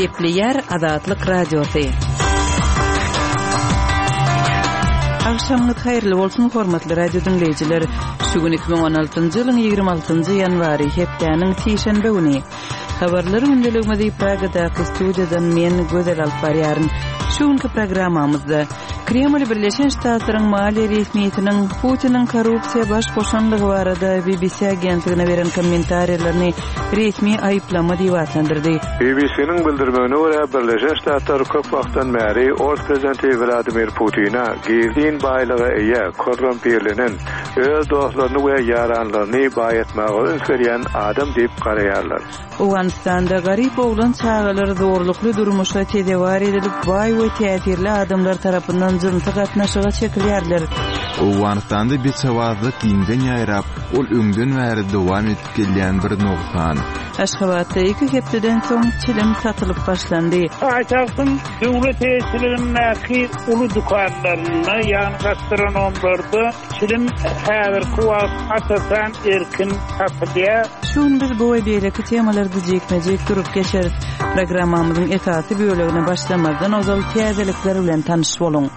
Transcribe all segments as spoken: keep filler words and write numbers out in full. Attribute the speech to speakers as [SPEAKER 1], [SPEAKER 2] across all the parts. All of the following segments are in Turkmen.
[SPEAKER 1] Gepleýär Azatlyk Radiosy. Agşamyňyz haýyrly bolsun, hormatly radio diňleýjiler. Şu gün iki müň on altynjy ýylyň ýigrimi altynjy ýanwary, hepdäniň sişenbe güni. Habarlar gündeligimizi Pragadaky studiýadan men Gözel alyp barýaryn. Şu günki programmamyzda Kreml Birleşen Ştatlaryň maliýe resmiýetiniň Putiniň korrupsiýa baş goşanlygy barada B B C agentligine beren kommentariýalaryny resmi aýyplama diýip atlandyrdy.
[SPEAKER 2] B B C-niň bildirmegine görä, Birleşen Ştatlar köp wagtdan bäri Ors prezidenti Wladimir Putine gizlin baýlyga eýe, korrumpirlenen, öz dostlaryny we ýaranlaryny baýatmaga üns berýän adam diýip garaýarlar.
[SPEAKER 1] Owganystanda garyp oglan çagalar zorlukly durmuşa tezewar edilip, baý we täsirli adamlar tarapyndan jynsy gatnaşyga çekilýärler.
[SPEAKER 3] Owganystanda beçewazlyk giňden ýaýrap, ol öňden bäri dowam edip gelýän bir nogsan.
[SPEAKER 1] Aşgabatda iki hepdeden soň çilim satylyp başlandy.
[SPEAKER 4] Paýtagtyň döwlet eýeçiligindäki uly dükanlarynda, ýagny gastronomlarda çilim häzirki wagt asasan erkin satylýar.
[SPEAKER 1] Şu gün biz bu we beýleki temalarda jikme-jik durup geçeris. Programmamyzyň esasy bölegine başlamazdan ozal täzelikler bilen tanyş boluň.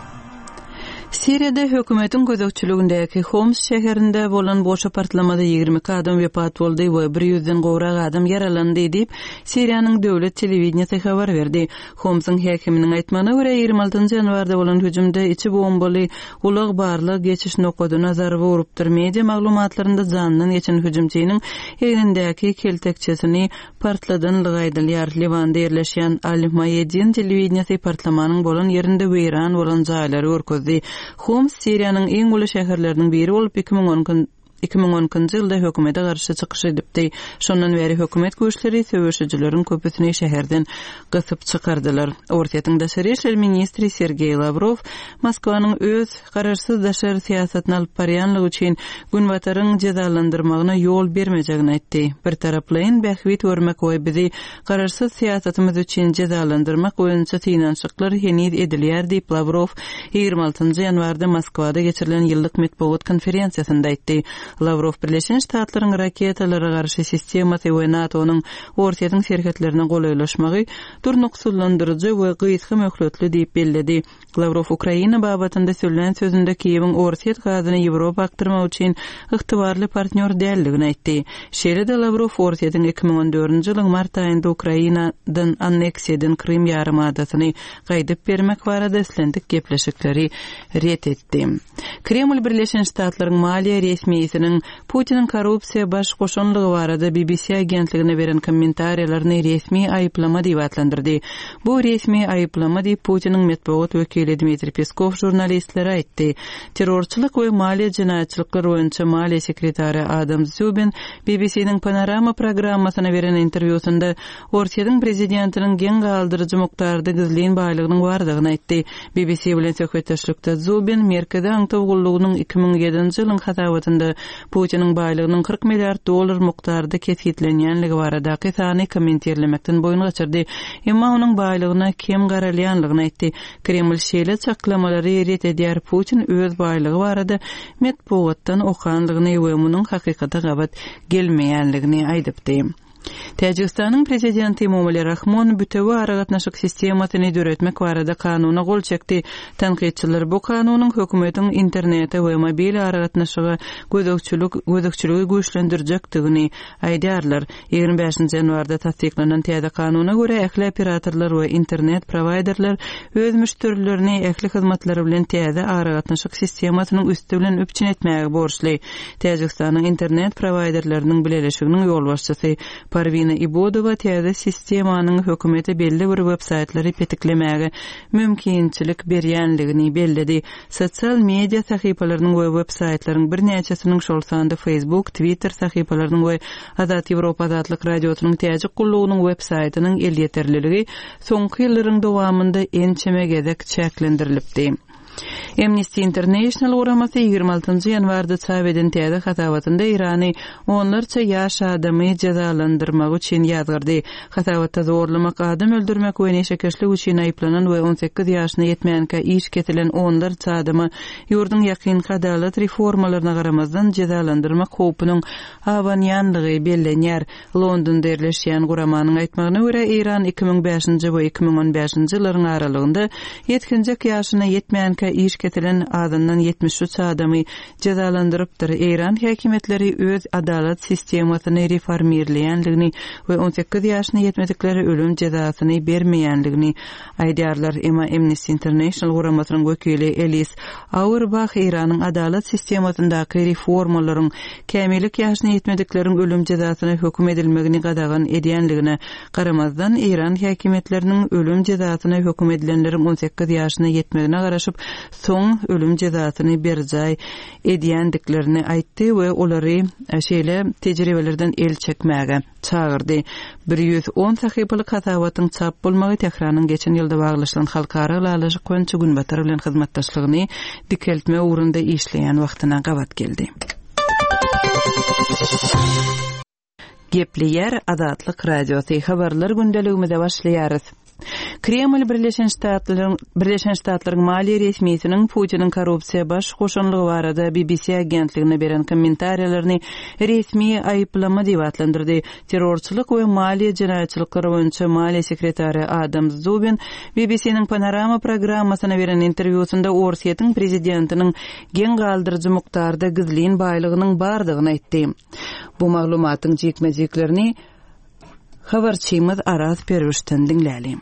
[SPEAKER 1] Siriýada hökümetiň gözegçiligindäki Homs şäherinde bolan boşa partlamada ýigrimi iki adam wepat boldy we bir ýüzden gowrak adam ýaralandy diýip, Siriýanyň döwlet telewideniýesi habar berdi. Homsyň häkiminiň aýtmagyna görä, ýigrimi altynjy ýanwarda bolan hüjümde içi bombaly ulag barlag geçiş nokadyna zarba urupdyr. Media maglumatlarynda jandan geçen hüjümçiniň egnindäki keltekçesini partladanlygy aýdylýar. Liwanda ýerleşýän Al-Maýedin telewideniýesi partlamanyň bolan ýerinde weýran bolan jaýlary görkezdi. Homs Siriýanyň iň uly şäherleriniň biri bolup, iki müň on iki, iki müň on ikinji ýylda hökümete garşy çykyş edipdi. Şondan bäri hökümet güýçleri söweşijileriň köpüsini şäherden gysyp çykardylar. Orsýetiň daşary işler ministri Sergeý Lawrow Moskwanyň öz garaşsyz daşary syýasatyny alyp barýanlygy üçin Günbataryň jezalandyrmagyna ýol bermejegini aýtdy. Bir taraplaýyn bähbit görmek we bizi garaşsyz syýasatymyz üçin jezalandyrmak boýunça synanyşyklar heniz edilýär diýip Lawrow ýigrimi altynjy ýanwarda Moskwada geçirilen ýyllyk metbugat konferensiýasynda aýtdy. Lawrow Birleşen Ştatlaryň raketalara garşy sistemasy we NATO-nyň Orsýetiň serhetlerine golaýlaşmagy durnuksyzlandyryjy we gysga möhletli diýip belledi. Lawrow Ukraina babatynda söylän sözünde Kiýewiň Orsýet gazyny Ýewropa akdyrmak üçin ygtybarly partnýor däldigini aýtdy. Şeýle-de Lawrow Orsýetiň iki müň on dördünji ýylyň mart aýynda Ukrainadan anneksiýa eden Krym ýarymadasyny gaýdyp bermek barada islendik gepleşikleri ret etdi. Kreml Birleşen Ştatlaryň maliýe resmiýetiniň Putiniň korrupsiýa baş goşanlygy barada B B C agentligine beren kommentariýalaryny resmi aýyplama diýip atlandyrdy. Bu resmi aýyplama diýip Putiniň metbugat wekili Dmitriý Peskow žurnalistlere aýtdy. Terrorçylyk we maliýe jenaýatçylyklar boýunça maliýe sekretary Adam Zubin B B C-niň Panorama programmasyna beren interwýusynda Orsýetiň prezidentiniň geň galdyryjy mukdarda gizlin baýlygynyň bardygyny aýtdy. B B C bilen söhbetdeşlikde Zubin Merkezi aňtaw gullugynyň iki müň ýedinji ýylyň hasabatynda Putiniň baýlygynyň kyrk milliard dollar mukdarda kesgitlenýänligi baradaky sany kommentirlemekden boýun gaçyrdy. Emma onuň baýlygyna kem garalýanlygyny aýtdy. Kreml şeýle çaklamalary ret edýär. Putin öz baýlygy barada metbugatdan okanlygyny we munuň hakykata gabat gelmeýänligini aýdypdy. Täjigistanyň prezidenti Emomali Rahmon bütewi aragatnaşyk sistemasyny döretmek barada kanuna gol çekdi. Tankytçylar bu kanunyň hökümetiň internete we mobil aragatnaşyga gözegçilik, gözegçiligi güýçlendirjekdigini aýdýarlar. Ýigrimi bäşinji ýanwarda tassyklanan täze kanuna görä ähli operatorlar we internet prowaýderler öz müşderilerini ähli hyzmatlary bilen täze aragatnaşyk sistemasynyň üsti bilen üpjün etmäge borçly. Täjigistanyň internet prowaýderleriniň bileleşiginiň ýolbaşçysy Parwina Ibodowa täze sistemanyň hökümete belli bir web-saýtlary petiklemäge mümkinçilik berýänligini belledi. Sosial media sahypalarynyň we web-saýtlaryň birnäçesiniň şol sanda Facebook, Twitter sahypalarynyň we Azat Ýewropa Azatlyk Radiosynyň Täjik gullugynyň web-saýtynyň elýeterliligi soňky ýyllaryň dowamynda ençeme gezek çäklendirilipdi. Amnesty International guramasy ýigrimi altynjy ýanwarda çap eden täze hasabatynda Eýrany onlarça ýaş adamy jezalandyrmagy üçin ýazgardy. Hasabatda zorlamak, adam öldürmek we neşekeşlik üçin aýyplanan we on sekiz ýaşyna ýetmänkä iş kesilen onlarça adama ýurduň ýakynky adalat reformalaryna garamazdan jezalandyrmak howpunyň abanýanlygy bellenýär. Londonda ýerleşýän guramanyň aýtmagyna görä, Eýran iki müň bäşinji we iki müň on bäşinji ýyllaryň aralygynda ýetginjek ýaşyna ýetmänkä iş kesilen azyndan ýetmiş üç adamy jezalandyrypdyr. Eýran häkimiýetleri öz adalat sistemasyny reformirleýänligini we on sekiz ýaşyna ýetmediklere ölüm jezasyny bermeýänligini aýdýarlar. Emma Amnesty International guramasynyň wekili Elis Auerbach Eýranyň adalat sistemasyndaky reformalaryň kämillik ýaşyna ýetmedikleriň ölüm jezasyna höküm edilmegini gadagan edýänligine garamazdan Eýran häkimiýetleriniň ölüm jezasyna höküm edilenleriň on sekiz ýaşyna ýetmegine garaşyp, soň ölüm jezasyny berjaý edýändiklerini aýtdy we olary şeýle tejribelerden el çekmäge çagyrdy. Bir ýüz on sahypalyk hasabatyň çap bolmagy Tähranyň geçen ýylda baglaşylan halkara ylalaşyk boýunça Günbatar bilen hyzmatdaşlygyny dikeltme ugrunda işleýän wagtyna gabat geldi. Gepleýär Azatlyk Radiosy habarlar gündeligimize başlaýarys. Kreml Birleşen Ştatlaryň, Birleşen Ştatlaryň maliýe resmisiniň Putiniň korrupsiýa baş goşanlygy barada B B C agentligine beren kommentariýalaryny resmi aýyplama diýip atlandyrdy. Terrorçylyk we maliýe jenaýatçylyklary boýunça maliýe sekretary Adam Szubin B B C-niň Panorama programmasyna beren interwýusynda Orsýetiň prezidentiniň geň galdyryjy mukdarda gizlin baýlygynyň bardygyny aýtdy. Bu maglumatyň jikme-jiklerini habarçymyz Araz Perwişden diňläli.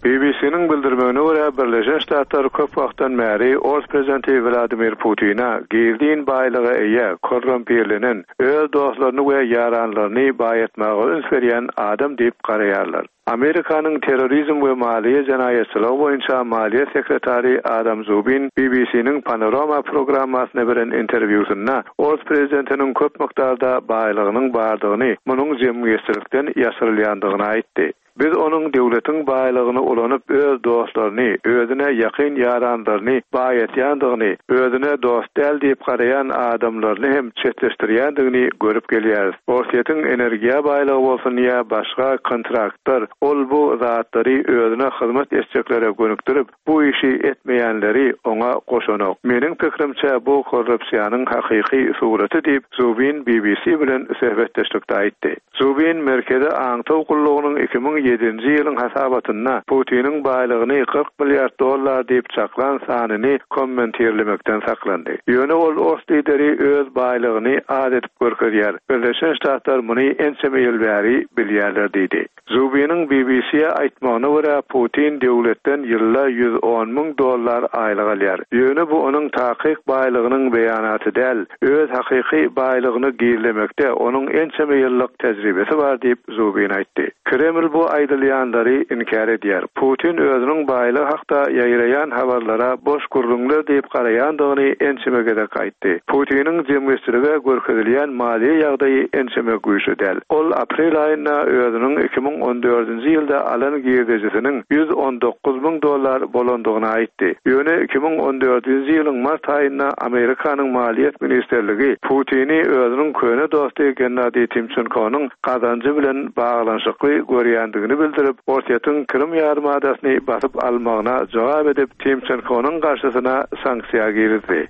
[SPEAKER 2] B B C-niň bildirmegine görä Birleşen Ştatlar köp wagtdan bäri Ors prezidenti Vladimir Putina gizlin baýlyga eýe, korrumpirlenen, öz dostlaryny we ýaranlaryny baýatmaga üns berýän adam diýip garaýarlar. Amerikanyň terrorizm we maliýe jenaýatçylygy boýunça maliýe sekretary Adam Szubin B B C-niň Panorama programmasyna beren interwýusynda Ors prezidentiniň köp mukdarda baýlygynyň bardygyny, munuň jemgyýetçilikden ýaşyrylýandygyny aýtdy. Biz onuň döwletiň baýlygyny ulanyp öz dostlaryny, özüne ýakyn ýaranlaryny baýatýandygyny, özüne dost däl diýip garaýan adamlaryny hem çetleşdirýändigini görüp gelýäris. Orsýetiň energiýa baýlygy bolsun ýa başga kontraktlar, ol bu zatlary özüne hyzmat etjeklere gönükdirip, bu işi etmeýänleri oňa goşanok. Meniň pikrimçe bu korrupsiýanyň hakyky suraty diýip Szubin B B C bilen söhbetdeşlikde aýtdy. Szubin Merkezi Aňtaw gullugynyň iki müň ýedinji ýylyň hasabatynda Putiniň baýlygyny kyrk milliard dollar diýip çaklan sanyny kommentirlemekden saklandy. Ýöne ol ors lideri öz baýlygyny az edip görkezýär. Birleşen Ştatlar muny ençeme ýyl bäri bilýärler diýdi. Szubiniň B B C-ye aýtmagyna görä Putin döwletden ýylda ýüz on müň dollar aýlyk alýar. Ýöne bu onuň takyk baýlygynyň beýanaty däl, öz hakyky baýlygyny gizlemekde onuň ençeme ýyllyk tejribesi bar diýip Szubin aýtdy. Kreml bu aýdylýanlary inkär edýär. Putin özüniň baýlygy hakda ýaýraýan habarlara boş gürrüňler diýip garaýandygyny ençeme gezek aýtdy. Putiniň jemgyýetçilige görkezilýän maliýe ýagdaýy ençeme güýçli däl. Ol aprel aýynda özüniň iki müň on dördünji ýylda alan girdejisiniň ýüz on dokuz müň dollar bolandygyny aýtdy. Ýöne iki müň on dördünji ýylyň mart aýynda Amerikanyň maliýet ministerligi Putini özüniň köne dosty Gennadiý Timçenkonyň gazanjy bilen baglanyşykly görýändigini bildirip, Orsýetiň Krym ýarymadasyny basyp almagyna jogap edip, Timçenkonyň garşysyna sanksiýa girizdi.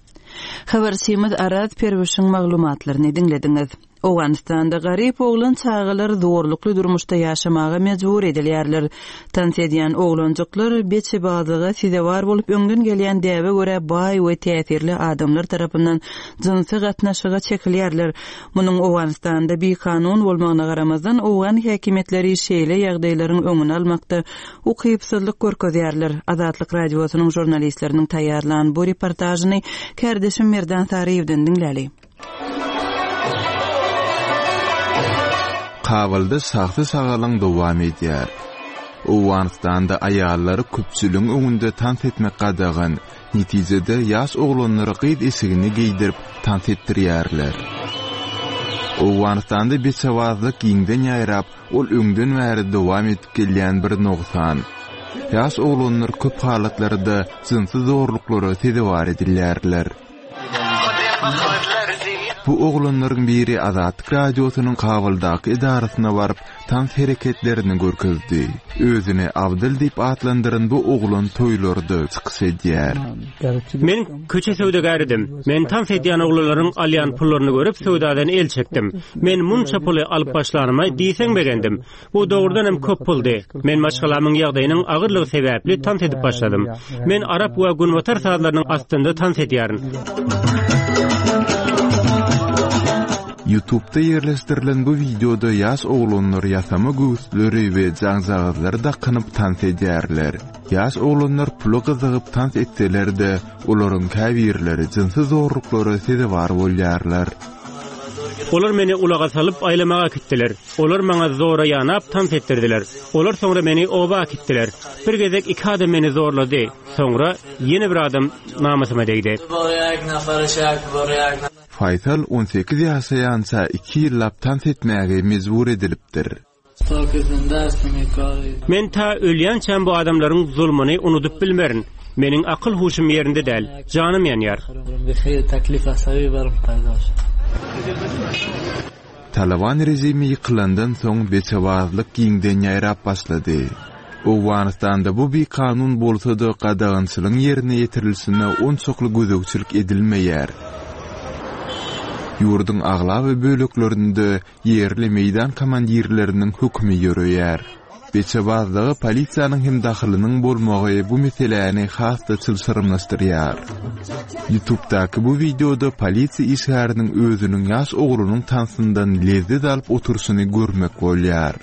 [SPEAKER 1] Habarçymyz Araz Perwişiň maglumatlaryny diňlediňiz. Owganystanda garyp oglan çagalar zorlukly durmuşda ýaşamaga mejbur edilýärler. Tans edýän oglanjyklar beçebazlyga sezewar bolup öňden gelýän däbe görä baý we täsirli adamlar tarapyndan jynsy gatnaşyga çekilýärler. Munuň Owganystanda bikanun bolmagyna garamazdan owgan häkimiýetleri şeýle ýagdaýlaryň öňüni almakda ukypsyzlyk görkezýärler. Azatlyk radiosynyň žurnalistleriniň taýýarlan bu reportažyny kärdeşim Merdan Saryýewden diňläli.
[SPEAKER 3] Kabulda şahsy şagalyň dowam edýär. Owganystanda aýallary köpçüligiň öňünde tans etmek gadagan, netijede ýaş oglanlary gyz eşigini geýdirip tans etdirýärler. Owganystanda beçebazlyk giňden ýaýrap, ol öňden bäri dowam edip gelýän bir nogsan. Ýaş oglanlar köp halatlarda jynsy zorluklara sezewar edilýärler. Bu oglanlaryň biri Azatlyk Radiosynyň Kabuldaky edarasyna baryp, tans hereketlerini görkezdi. Özüni Abdyl diýip atlandyran bu oglan toýlarda çykyş edýär.
[SPEAKER 5] Men köçe söwdagäridim. Men tans edýän oglanlaryň alýan pullaryny görüp söwdadan el çekdim. Men munça puly alyp başlanyma diýseň begendim. Bu dogrudan hem köp puldy. Men maşgalamyň ýagdaýynyň agyrlygy sebäpli tans edip başladym. Men arap we günbatar sazlarynyň astynda tans edýärin.
[SPEAKER 3] YouTube'da ýerleşdirilen bu wideoda ýaş oglanlar ýasama göwüsleri we jaňjagazlary dakynyp tans edýärler. Ýaş oglanlar pula gyzygyp tans etseler-de, olaryň käbirleri jynsy zorluklara sezewar bolýarlar.
[SPEAKER 5] Olar meni ulaga salyp aýlamaga gitdiler. Olar maňa zora ýanap tans etdirdiler. Olar soňra meni oba gitdiler. Bir gezek iki adam meni zorlady. Soňra ýene bir adam namysyma degdi.
[SPEAKER 3] Faýsal on sekiz ýaşaýança iki ýyllap tans etmäge mejbur edilipdir.
[SPEAKER 5] Men ta ölýänçäm bu adamlaryň zulmuny unudyp bilmerin. Meniň akyl huşum ýerinde däl, janym ýanýar.
[SPEAKER 3] Taliban režimi ýykylandan soň beçebazlyk giňden ýaýrap başlady. Owganystanda bu bir kanun bolsa-da gadagançylygyň ýerine ýetirilişine onçakly gözegçilik edilmeýär. Ýurduň aglaba böleklerinde ýerli meýdan komandirleriniň hökümi ýöreýär. Beçebazlyga polisiýanyň hem dahylynyň bolmagy bu meseläni has-da çylşyrymlaşdyrýar. YouTube'daky bu wideoda polisiýa işgäriniň özüniň ýaş oglunyň tansyndan lezzet alyp oturşyny görmek bolýar.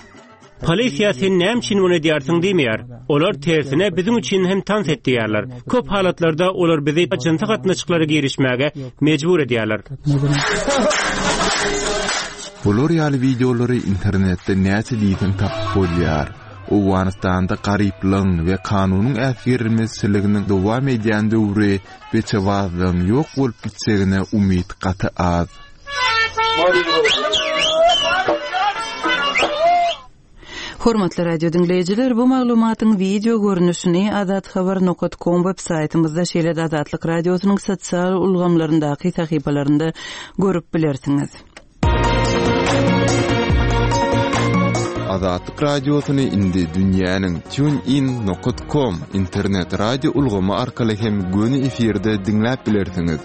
[SPEAKER 5] Polisiýa sen näme üçin muny edýärsiň diýmeýär. Olar tersine biziň üçin hem tans et diýýärler. Köp halatlarda olar bizi jynsy gatnaşyklara girişmäge mejbur edýärler.
[SPEAKER 3] Bular ýaly wideolary internetde näçe diýseň tapyp bolýar. Owganystanda garyplygyň we kanunyň äsgerilmezçiliginiň dowam edýän döwri beçebazlygyň ýok bolup gitjegine umyt gaty az.
[SPEAKER 1] Hormatly radio diňleýjiler, bu maglumatyň video görnüşini azathabar nokta com web saýtymyzda, şeýle-de Azatlyk Radiosynyň sosial ulgamlaryndaky sahypalarynda görüp bilersiňiz.
[SPEAKER 3] Azatlyk Radiosyny indi dünýäniň TuneIn nokta com internet radio ulgamy arkaly hem göni efirde diňläp bilersiňiz.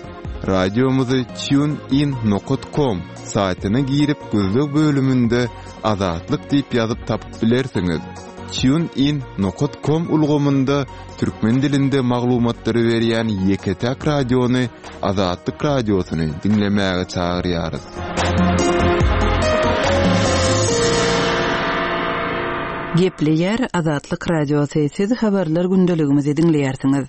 [SPEAKER 3] Radiomyzy TuneIn nokta com saýtyna girip gözleg bölüminde Azatlyk diýip ýazyp tapyp bilersiňiz. TuneIn nokta com ulgamynda türkmen dilinde maglumatlary berýän ýeke-täk radiony Azatlyk Radiosyny diňlemäge çagyrýarys.
[SPEAKER 1] Gepleýär Azatlyk Radiosy. Siz habarlar gündeligimizi diňleýärsiňiz.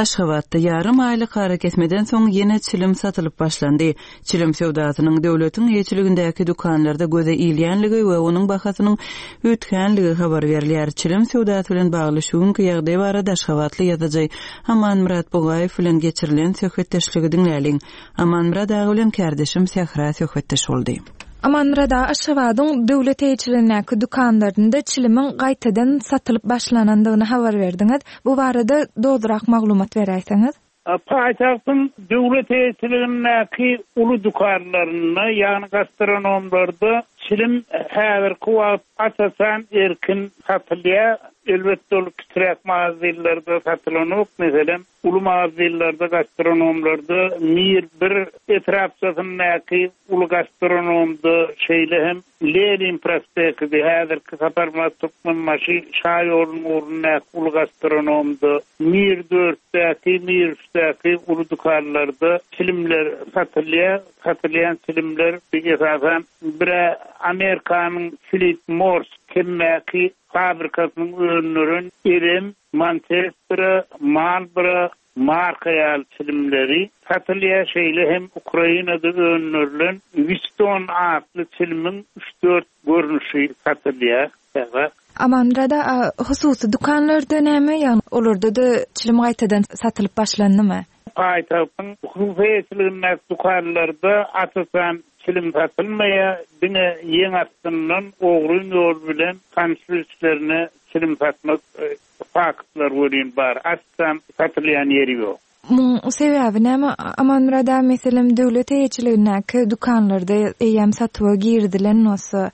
[SPEAKER 1] Aşgabatda ýarym aýlyk arakesmeden soň ýene çilim satylyp başlandy. Çilim söwdasynyň döwletiň eýeçiligindäki dükanlarda göze ilýänligi we onuň bahasynyň üýtgänligi habar berilýär. Çilim söwdasy bilen bagly şu günki ýagdaý barada Aşgabatly ýazyjy Amanmyrat Bugaýew bilen geçirilen söhbetdeşligi diňläliň. Amanmyrat aga bilen kardeşim Sähra söhbetdeş boldy.
[SPEAKER 6] Amanmyrat aga, Aşgabadyň döwlet eýeçiligindäki dükanlarynda çilimiň gaýtadan satylyp başlanandygyny habar berdiňiz. Bu barada dogrurak maglumat beräýseňiz.
[SPEAKER 4] Paýtagtyň döwlet eýeçiligindäki uly dükanlarynda, ýagny gastronomlarda çilim häzirki wagt asasan erkin satylýar. Elbetde ol kiçiräk magazynlarda satylanok, meselem, uly magazynlarda, gastronomlarda Mir bir etrapçasyndaky uly gastronomda, şeýle hem Lenin prospekti, häzirki Saparmyrat Türkmenbaşy Şaýolunyň ugrundaky uly gastronomda, Mir dörtdäki, Mir üçdäki uly dükanlarda çilimler satylýar. Satylýan çilimler esasan bire Amerikanyň Philip Morris temmäki fabrikasynyň öndüren Elem, Manchester, Marlboro marka ýaly çilimleri satylýar. Şeýle hem Ukrainada öndürilen Winston atly çilimiň üç dört görnüşi satylýar.
[SPEAKER 6] Amanmyrat aga, hususy dükanlarda näme, ýagny olarda-da çilim gaýtadan satylyp başlandymy?
[SPEAKER 4] Paýtagtyň hususy eýeçiligindäki dükanlarda asasan çilim satylmaýar, diňe ýeň astyndan ogryn ýol bilen tanyş-bilişlerine çilim satmak faktlar welin bar. Asla satylýan ýeri ýok.
[SPEAKER 6] Muň sebäbi näme Amanmyrat aga, meselem, döwlet eýeçiligindäki dükanlarda eýýäm satuwa girizilen bolsa,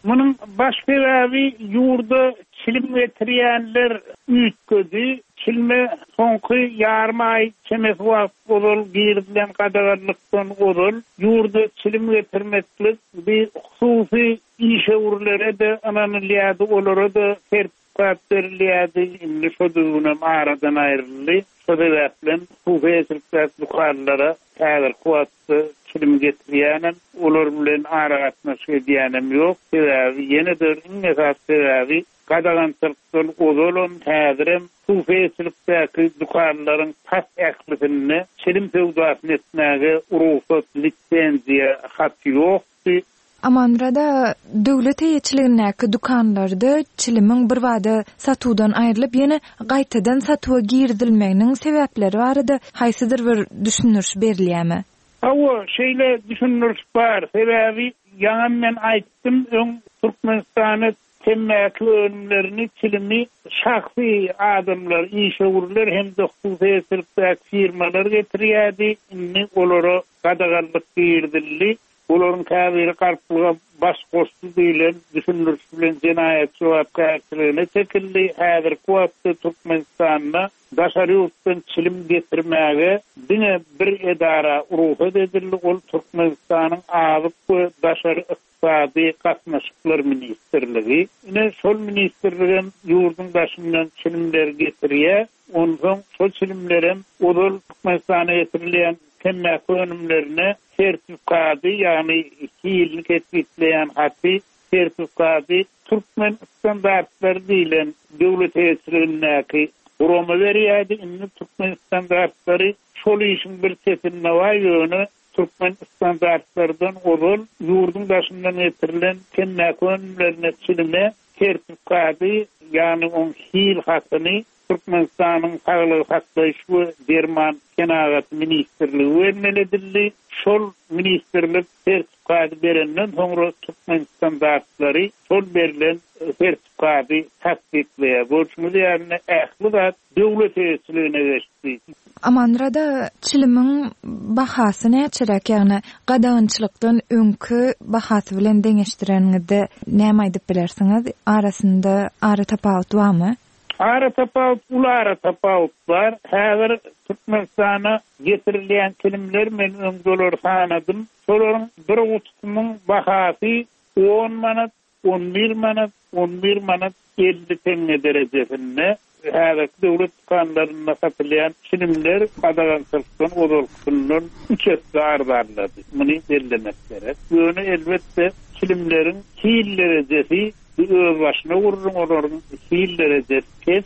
[SPEAKER 4] Munuň baş sebäbi ýurda çilim getirýänler üýtgedi. Çilime soňky ýarym aý çemesi wagt ozal girizilen gadaganlykdan ozal ýurda çilim getirmeklik bir hususy işewürlere-de ynanylýardy, olara-da sertifikat berilýärdi. Indi şo düzgünem aradan aýryldy. Şo sebäpden hususy eýeçilikdäki dükanlara häzirki wagtda çilim getirýänem, olar bilen aragatnaşyk edýänem ýok. Sebäbi ýene-de iň esasy sebäbi gadagançylykdan ozalam häzirem hususy eýeçilikdäki dükanlaryň tas ählisinde çilim söwdasyny etmäge rugsat, lisenziýa haty ýokdy.
[SPEAKER 6] Amanmyrat aga, döwlet eýeçiligindäki dükanlarda çilimiň birbada satuwdan aýrylyp, ýene gaýtadan satuwa girizilmeginiň sebäpleri barada haýsydyr bir düşündiriş berilýärmi?
[SPEAKER 4] Hawa, şeýle düşündiriş bar. Sebäbi ýaňam men aýtdym, öň Türkmenistana temmäki önümlerini, çilimi şahsy adamlar, işewürler hem-de hususy eýeçilikdäki firmalar getirýärdi. Indi olara gadaganlyk girizildi. Olaryň käbiri galplyga baş goşdy diýlen düşündiriş bilen jenaýat jogapkärçiligine çekildi. Häzirki wagtda Türkmenistanda daşary ýurtdan çilim getirmäge diňe bir edara rugsat edildi. Ol Türkmenistanyň Azyk we Daşary Ykdysady Gatnaşyklar Ministrligi. Ine şol ministrligem ýurduň daşyndan çilimleri getirýär. Onsoň şol çilimlerem ozal Türkmenistana getirilýän temmäki önümlerine sertifikady, ýagny hilini kesgitleýän haty, sertifikady Türkmen standartlary diýlen döwlet eýeçiligindäki gurama berýärdi. Indi Türkmen standartlary şol işiň bir çetinde bar, ýöne Türkmen standartlardan ozal ýurduň daşyndan getirilen temmäki önümlerine çilime sertifikady, ýagny oň hil hatyny Türkmenistanyň Saglygy saklaýyş we Derman Senagaty Ministrligi bermeli edildi. Şol ministrlik sertifikady berenden soňra Türkmen standartlary şol berlen sertifikady tasdiklaýar. Görşüňiz ýaly ähli zat döwlet eýeçiligine geçdi.
[SPEAKER 6] Amanmyrat aga, çilimiň bahasy näçeräk, ýagny gadagançylykdan öňki bahasy bilen deňeşdireniňizde näme aýdyp bilersiňiz? Arasynda ara tapawut barmy?
[SPEAKER 4] Ara tapawut, uly ara tapawut bar. Häzir Türkmenistana getirilýän çilimler men öň dolar sanadym. Şolaryň bir gutusynyň bahasy on manat, on bir manat, on bir manat elli teňňe derejesinde. Häzirki döwlet dükanlarynda satylýan çilimler gadagançylykdan ozalkysyndan üç esse arzanlady. Muny bellemek gerek. Ýöne elbetde çilimleriň hil derejesi öz başyna gurrun, olaryň hil derejesi pes.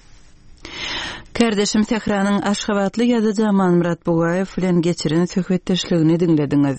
[SPEAKER 1] Kardeşim Tähranyň Aşgabatly ýazyjy Amanmyrat Bugaýew bilen geçiren söhbetdeşligini diňlediňiz.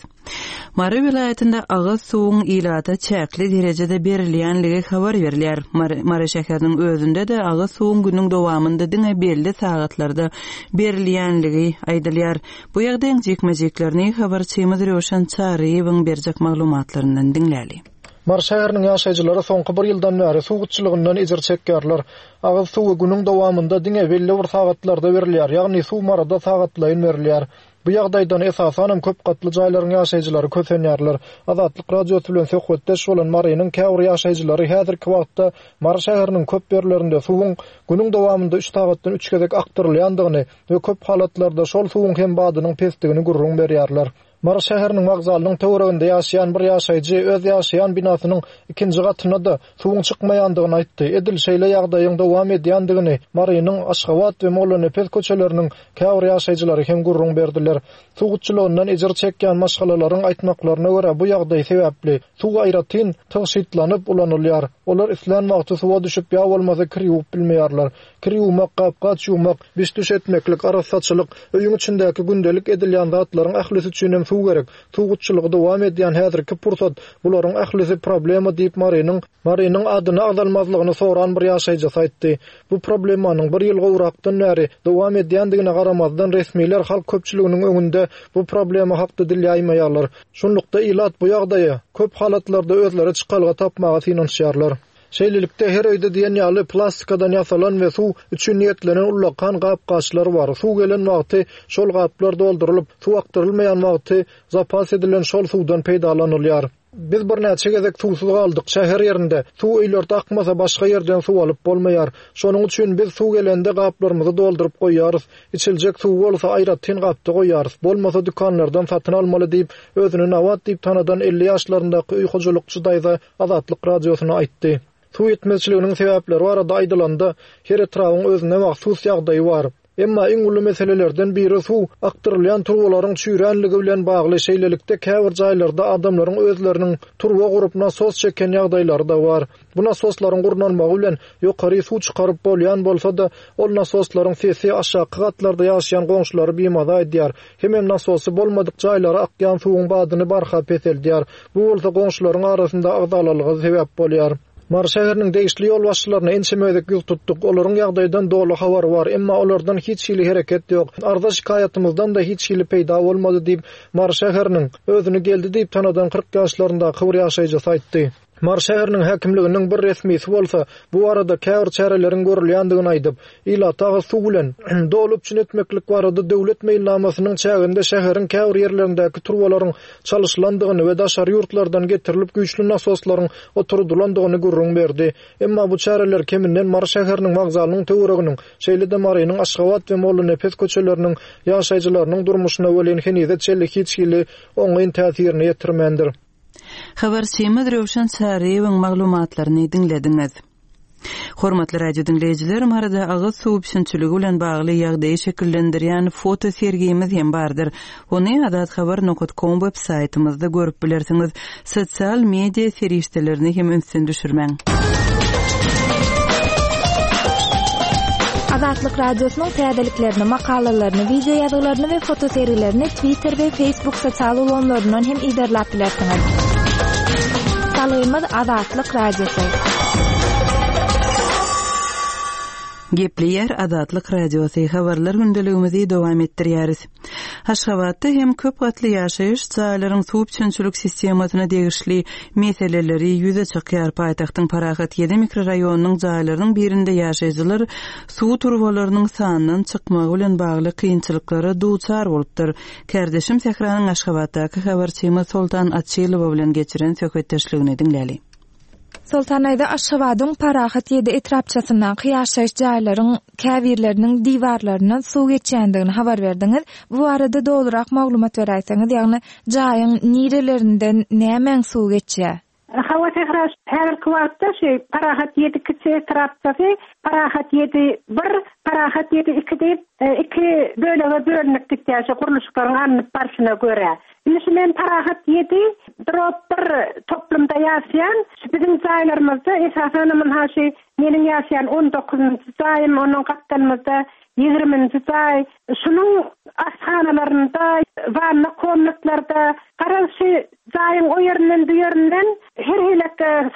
[SPEAKER 1] Mary welaýatynda agyz suwuň ilata çäkli derejede berilýänligi habar berilýär. Mary, Mary şäheriniň özünde-de agyz suwuň günüň dowamynda diňe belli sagatlarda berilýänligi aýdylýar. Bu ýagdaýyň jikme-jiklerini habarçymyz Röwşen Çaryýewiň berjek maglumatlaryndan diňläli.
[SPEAKER 7] Mary şäheriniň ýaşaýjylary soňky bir ýyldan bäri suw gytçylygyndan ejir çekýärler. Agyz suwy günüň dowamynda diňe belli bir sagatlarda berilýär, ýagny suw Maryda sagatlaýyn berilýär. Bu ýagdaýdan esasanam köp gatly jaýlaryň ýaşaýjylary kösenýärler. Azatlyk Radiosy bilen söhbetdeş bolan Marynyň käbir ýaşaýjylary häzirki wagtda Mary şäheriniň köp ýerlerinde suwuň günüň dowamynda üç sagatdan üç gezek akdyrylýandygyny we köp halatlarda şol suwuň hem badynyň pesdigini gürrüň berýärler. Mary şäheriniň wokzalynyň töwereginde ýaşaýan bir ýaşaýjy öz ýaşaýan binasynyň ikinji gatyna-da suwuň çykmaýandygyny aýtdy. Edil şeýle ýagdaýyň dowam edýändigini Marynyň Aşgabat we Mollanepes köçeleriniň käbir ýaşaýjylary hem gürrüň berdiler. Suw gytçylygyndan ejir çekýän maşgalalaryň aýtmaklaryna görä bu ýagdaý sebäpli suw aýratyn tygşytlanyp ulanylýar. Olar islän wagty suwa düşüp ýa bolmasa kir ýuwup bilmeýärler. Kir ýuwmak, gap-gaç ýuwmak, biş-düş etmeklik, arassaçylyk, öýüň içindäki gündelik edilýän zatlaryň ählisi üçin hem suw gerek. Suw gytçylygy dowam edýän häzirki pursat bularyň ählisi problema diýip Marynyň Marynyň adyny agzalmazlygyny soran bir ýaşaýjysy aýtdy. Bu problemanyň bir ýyl gowrakdan bäri dowam edýändigine garamazdan resmiler halk köpçüliginiň öňünde bu problema hakda dil ýaýmaýarlar. Şunlukda ilat bu ýagdaýa köp halatlarda özleri çykalga tapmaga synanyşýarlar. Şeýlelikde her öýde diýen ýaly plastikadan ýasalan we suw üçin niýetlenen ullakan gap-gaçlar bar. Suw gelen wagty şol gaplar doldurylyp, suw akdyrylmaýan wagty zapas edilen şol suwdan peýdalanylýar. Biz birnäçe gezek suwsuz galdyk şäher ýerinde. Suw öýlerde akmasa başga ýerden suw alyp bolmaýar. Şonuň üçin biz suw gelende gaplarymyzy dolduryp goýýarys. Içiljek suw bolsa aýratyn gapda goýýarys. Bolmasa dükanlardan satyn almaly diýip, özüni Nawat diýip tanadan elli ýaşlaryndaky öý hojalykçy daýza Azatlyk radiosyna aýtdy. Suw ýetmezçiliginiň sebäpleri barada aýdylanda, her etrabyň özüne mahsus ýagdaýy bar. Emma iň uly meselelerden biri suw akdyrylýan turbalaryň çüýränligi bilen bagly. Şeýlelikde käbir jaýlarda adamlaryň özleriniň turba gurup nasos çeken ýagdaýlary da bar. Bu nasoslaryň gurnalmagy bilen ýokary suw çykaryp bolýan bolsa-da, ol nasoslaryň sesi aşaky gatlarda ýaşaýan goňşulary bimaza edýär. Hemem nasosy bolmadyk jaýlara akýan suwuň badyny barha peseldýär. Bu bolsa goňşularyň arasynda agzalalyga sebäp bolýar. Mary şäheriniň degişli ýolbaşçylaryna ençeme gezek ýüz tutduk. Olaryň ýagdaýdan doly habary bar, emma olardan hiç hili hereket ýok. Arza şikaýatymyzdan da hiç hili peýda bolmady diýip, Mary şäheriniň özüni geldi diýip tanadan kyrk ýaşlaryndaky bir ýaşaýjysy aýtdy. Mary şäheriniň häkimliginiň bir resmisi bolsa bu arada käbir çäreleriň görülýändigini aýdyp, ilata agyz suw bilen doly üpjün etmeklik barada döwlet meýilnamasynyň çäginde şäheriň käbir ýerlerindäki turbalaryň çalyşylandygyny we daşary ýurtlardan getirilip güýçli nasoslaryň oturdylandygyny gürrüň berdi. Emma bu çäreler keminden Mary şäheriniň wokzalynyň töwereginiň, şeýle-de Marynyň Aşgabat we Mollanepes köçeleriniň ýaşaýjylarynyň durmuşyna welin henize çenli hiç hili oňyn täsirini ýetirmändir.
[SPEAKER 1] Habarçymyz Röwşen Çaryýewiň maglumatlaryny diňlediňiz. Hormatly radio diňleýjiler, Maryda agyz suw üpjünçiligi bilen bagly ýagdaýy şekillendirýän foto sergimiz hem bardyr. Ony azathabar nokta com web saýtymyzda görüp bilersiňiz. Sosial media serişdelerini hem ünsden düşürmäň.
[SPEAKER 6] Azatlyk Radiosynyň täzeliklerini, makalalaryny, video ýazgylaryny we foto sergilerini Twitter we Facebook sosial ulgamlaryndan hem iberläp bilersiňiz. Salgymyz Azatlyk Radiosy.
[SPEAKER 1] Gepleýär Azatlyk Radiosy. Habarlar gündeligimizi dowam etdirýäris. Aşgabatda hem köp gatly ýaşaýyş jaýlaryň suw üpjünçilik sistemasyna degişli meseleleri ýüze çykýar. Paýtagtyň Parahat ýedi mikroraýonynyň jaýlarynyň birinde ýaşaýjylar suw turbalarynyň sandan çykmagy bilen bagly kynçylyklara duçar bolupdyr. Kardeşim Sähranyň Aşgabatdaky habarçymyz Soltan Açylowa bilen geçiren söhbetdeşligini diňläli.
[SPEAKER 6] Soltan aýda Aşgabadyň Parahat ýedi etrapçasyndaky ýaşaýyş jaýlaryň käbirleriniň diwarlaryndan suw geçýändigini habar berdiňiz. Bu arada dolurak maglumat beräýseňiz, ýagny jaýyň nirelerinden nämäň suw geçýär?
[SPEAKER 8] Hawa Sähra, häzirki wagtda şu Parahat ýedi kiçi etrapçasy, Parahat ýedi bir, Parahat ýedi iki diýip, e, iki bölege bölünip gitýär şu gurluşyklaryň alnyp barşyna görä. Indi şu men Parahat ýedi drop bir toplumda ýaşaýan, şu biziň jaýlarymyzda esasan munha şu meniň ýaşaýan on dokuzynjy jaýym, onuň gapdalymyzda ýigriminji jaý, şunuň aşhanalarynda, wanna komnatlarda, garaz şu jaýyň o ýerinden bu ýerinden her hili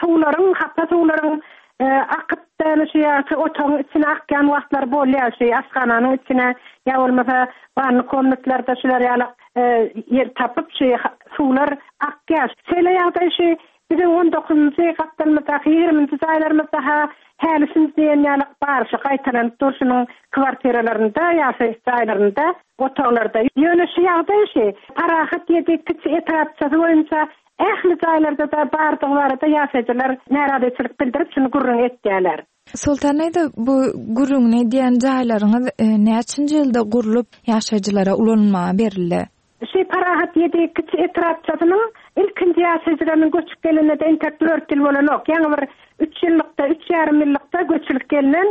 [SPEAKER 8] suwlaryň, hapa suwlaryň, e, akyp däni şu ýa-da otagyň içine akýan wagtlar bolýar, şu aşhananyň içine ýa bolmasa wanna komnatlarda şular ýaly, e, ýer tapyp şu suwlar akýar. Şeýle ýagdaý şu biziň on dokuzynjy gapdalymyzdaky ýigriminji jaýlarymyzda ha häli diýen ýaly bar, şu gaýtalanyp durşunyň kwartiralarynda, ýaşaýyş jaýlarynda, otaglarda. Ýöne şu ýagdaý şu Parahat ýedi kiçi etrapçasy boýunça ähli jaýlarda da bardygy barada ýaşaýjylar närazyçylyk bildirip şuny gürrüň etýärler.
[SPEAKER 6] Soltan aýda bu gürrüňini edýän jaýlaryňyz, e, näçinji ýylda gurlup ýaşaýjylara ulanylmaga berildi?
[SPEAKER 8] Şu Parahat ýedi kiçi etrapçasynyň ilkinji ýaşaýjylarynyň göçüp gelenine de entek dört ýyl bolanok. Ýaňy bir üç ýyllykda, üç ýarym ýyllykda göçülip gelinen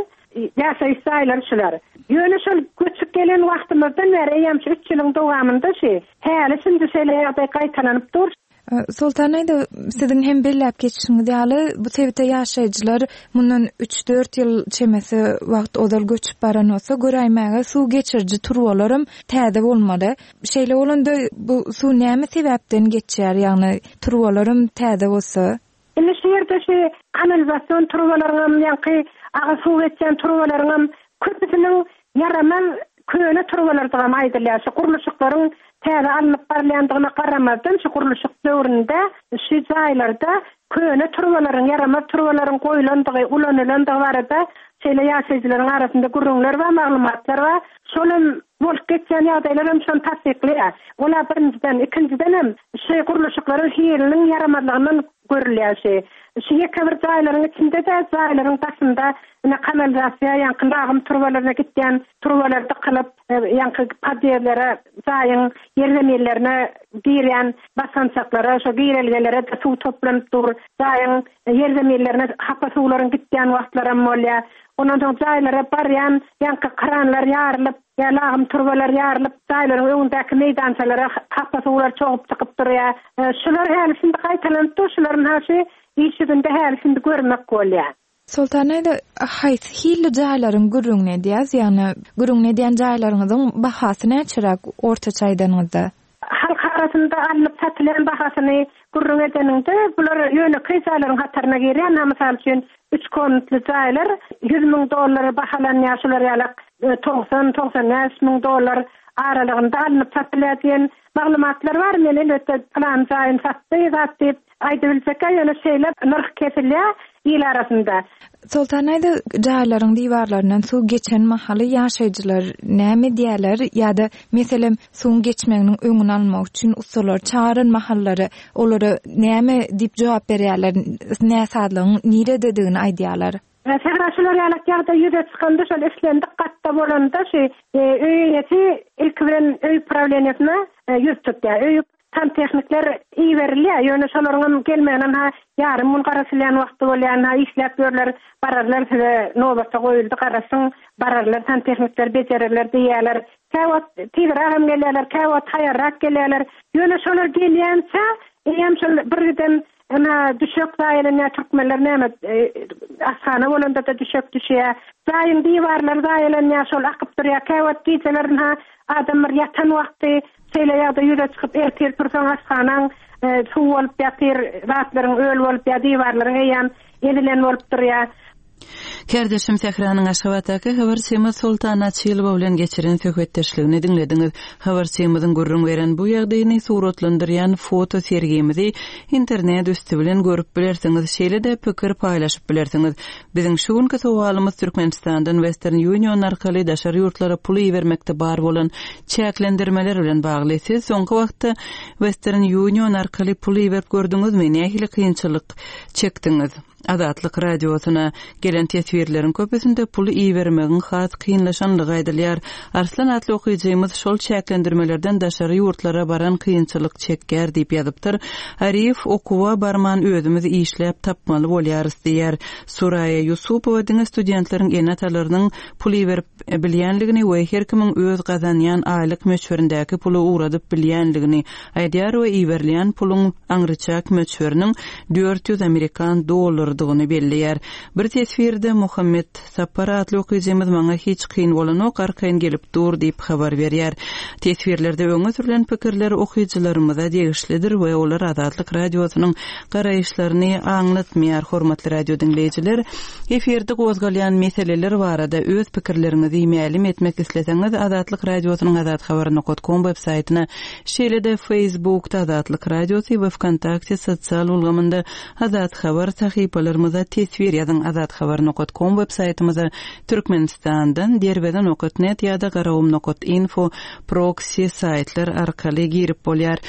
[SPEAKER 8] ýaşaýyş jaýlary şular. Ýöne şol göçüp gelen wagtymyzdan bäri eýýäm şu üç ýylyň dowamynda şu häli şimdi şeýle ýagdaý gaýtalanyp dur.
[SPEAKER 6] Soltan aýda, siziň hem belläp geçişiňiz ýaly, bu sebite ýaşaýjylar mundan üç-dört ýyl çemesi wagt ozal göçüp baran bolsa, göräýmäge suw geçiriji turbalaram täze bolmaly. Şeýle bolanda bu suw näme sebäpden geçýär, ýagny turbalaram täze bolsa?
[SPEAKER 8] Indi şu ýerde şu kanalizasion turbalaryňam, ýaňky agyz suw geçýän turbalaryňam köpüsiniň ýaramaz köne turbalardygam aýdylýar. Şu gurluşyklaryň täze alnyp barylýandygyna garamazdan, şu gurluşyk döwründe şu jaýlarda köne turbalaryň, ýaramaz turbalaryň goýlandygy, ulanylandygy barada şeýle ýaşaýjylaryň arasynda gürrüňler bar, maglumatlar bar. Şol hem bolup geçýän ýagdaýlar hem şony tassyklaýar. Ola birinjiden, ikinjiden hem şu gurluşyklaryň hiliniň ýaramazlygyndan görülýär şu. Şu ýeke bir jaýlaryň içinde-de jaýlaryň daşynda ine kanalizasiýa, ýaňky lagym turbalaryna gitýän turbalar dykylyp, ýaňky podýezdlere, jaýyň ýerzeminlerine girýän basgançaklara, şo girelgelere de suw toplanyp dur. Jaýyň ýerzeminlerine hapa suwlaryň gitýän wagtlaram bolýar. Ondan soň jaýlara barýan ýaňky kranlar ýarylyp, ýa lagym turbalar ýarylyp, jaýlaryň öňündäki meýdançalara hapa suwlar çogup çykyp durýar. Şular häli şindi gaýtalanyp dur, şularyň haşy iş ýüzünde häli şindi görmek bolýar.
[SPEAKER 6] Soltan aýda, haýsy hilli jaýlaryň gürrüňini edýäs? Ýagny gürrüňini edýän jaýlaryňyzyň bahasy näçeräk ortaça aýdanyňyzda?
[SPEAKER 8] Halk arasynda alnyp satylýan bahasyny gürrüň edeniňde, bular ýönekeý jaýlaryň hataryna girýär. Ha, mysal üçin, üç komnatly jaýlar ýüz müň dollar bahalanýar, şular ýaly togsan, togsan bäş müň dollar aralygynda alnyp satylýar diýen maglumatlar bar. Men elbetde plan jaýyny satdy, zat diýip aýdybiljek, ýöne şeýle nyrh kesilýär il arasynda.
[SPEAKER 6] Soltan aýda, jaýlaryň diwarlaryndan suw geçen mahaly ýaşaýjylar näme diýerler ýa-da meselem suwuň geçmeginiň öňüni almak üçin ussalar çagyran mahallary olara näme diýip jogap berýärler, näsazlygyň nirededigini aýdýarlar?
[SPEAKER 8] Sähra şular ýaly ýagdaý ýüze çykanda, şol islendik gatda bolanda şu, e, öý eýesi ilki bilen öý prawleniýesine, e, ýüz tutýar. Öý santehnikler iberilýär. Ýöne şolaryň hem gelmegine ha ýarym gün garaşylýan wagty bolýar, ha işläp ýörler, bararlar size nobata goýuldy, garaşyň, bararlar santehnikler bejererler diýýärler. Käwagt tizräk hem gelýärler, käwagt haýarrak gelýärler. Ýöne şolar gelýänçä, eýem şol bir giden ena düşek zaýalanýar, türkmenler näme, e, ashana bolanda da düşek düşýär. Jaýyň diwarlary zaýalanýar, şol akyp durýar. Käwagt gijelerin ha adamlar ýatan wagty şeýle ýagdaý ýüze çykyp ertir tursaň ashanaň, e, suw bolup ýatyr, zatlaryň öl bolup ýa diwarlaryň eýem ezilen bolup durýar.
[SPEAKER 1] Kärdeşim Sähranyň Aşgabatdaky habarçymyz Soltan Açylowa bilen geçiren söhbetdeşligini diňlediňiz. Habarçymyzyň gürrüň beren bu ýagdaýyny suratlandyrýan foto sergimizi internet üsti bilen görüp bilersiňiz, şeýle-de pikir paýlaşyp bilersiňiz. Biziň şu günki sowalymyz Türkmenistandan Western Union arkaly daşary ýurtlara pul ibermekde bar bolan çäklendirmeler bilen bagly. Siz soňky wagtda Western Union arkaly pul iberip gördüňizmi? Nähili kynçylyk çekdiňiz? Azatlyk radiosyna gelen teswirleriň köpüsinde pul ibermegiň has kynlaşanlygy aýdylýar. Arslan atly okyjymyz şol çäklendirmelerden daşary ýurtlara baran kynçylyk çekýär diýip ýazypdyr. Arif okuwa barman özümiz işläp tapmaly bolýarys diýär. Suraýa Ýusupowa diňe studentleriň ene-atalarynyň pul iberip bilýänligini we her kimiň öz gazanýan aýlyk möçberindäki puly ugradyp bilýänligini aýdýar we iberilýän puluň aňryçäk möçberiniň dört ýüz amerikan dollardygyny belleýär. Bir teswirde Muhammet Sapar atly okyjymyz maňa hiç kyn bolanok, arkaýyn gelip dur diýip habar berýär. Teswirlerde öňe sürülen pikirler okyjylarymyza degişlidir we olar Azatlyk radiosynyň garaýyşlaryny aňlatmaýar. Hormatly radio diňleýjiler, efirde gozgalýan meseleler barada öz pikirleriňizi mälim etmek isleseňiz Azatlyk radiosynyň azathabar nokta com web saýtyna, şeýle-de Facebookda Azatlyk radiosy we Vkontakte sosial ulgamynda Azat Habar sahypalarymyza teswir ýazyň. Azathabar nokta com web saýtymyza Türkmenistandan derweze nokta net ýa-da garagum nokta info proxy saýtlar arkaly girip bolýar.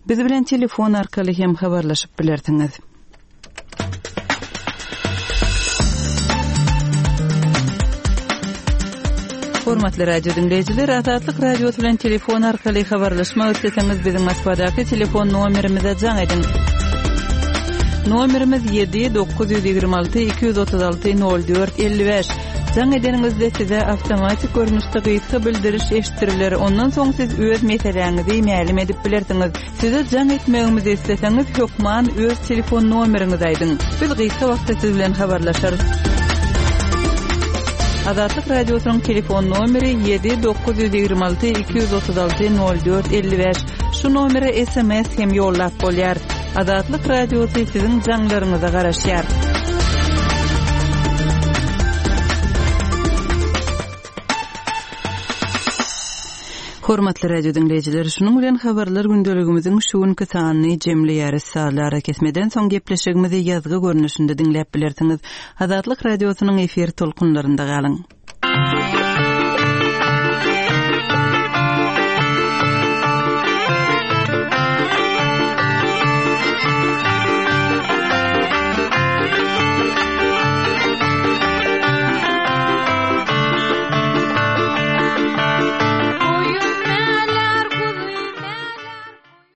[SPEAKER 1] Biz bilen telefon arkaly hem habarlaşyp bilersiňiz. Hormatly radio diňleýjiler, Azatlyk radiosy bilen telefon arkaly habarlaşmak isleseňiz biziň Moskwadaky telefon nomerimize jaň ediň. Nomerimiz ýedi dokuz ýüz ýigrimi alty iki ýüz otuz alty nol dört elli bäş. Jaň edeniňizde size awtomatik görnüşde gysga bildiriş eşitdiriler. Ondan soň siz öz meseläňizi mälim edip bilersiňiz. Size jaň etmegimizi isleseňiz, hökman öz telefon nomeriňizi aýdyň. Biz gysga wagtda siz bilen habarlaşarys. Azatlyk Radiosynyň telefon nomeri ýedi dokuz ýüz ýigrimi alty iki ýüz otuz alty nol dört elli bäş. Şu nomere S M S hem ýollap bolýar. Azatlyk Radiosy siziň jaňlaryňyza garaşýar. Hormatly radio diňleýjiler, şunuň bilen habarlar gündeligimiziň şu günki sanyny jemleýäris. Sazly arakesmeden soň gepleşigimizi ýazgy görnüşinde diňläp bilersiňiz. Azatlyk Radiosynyň efir tolkunlarynda galyň.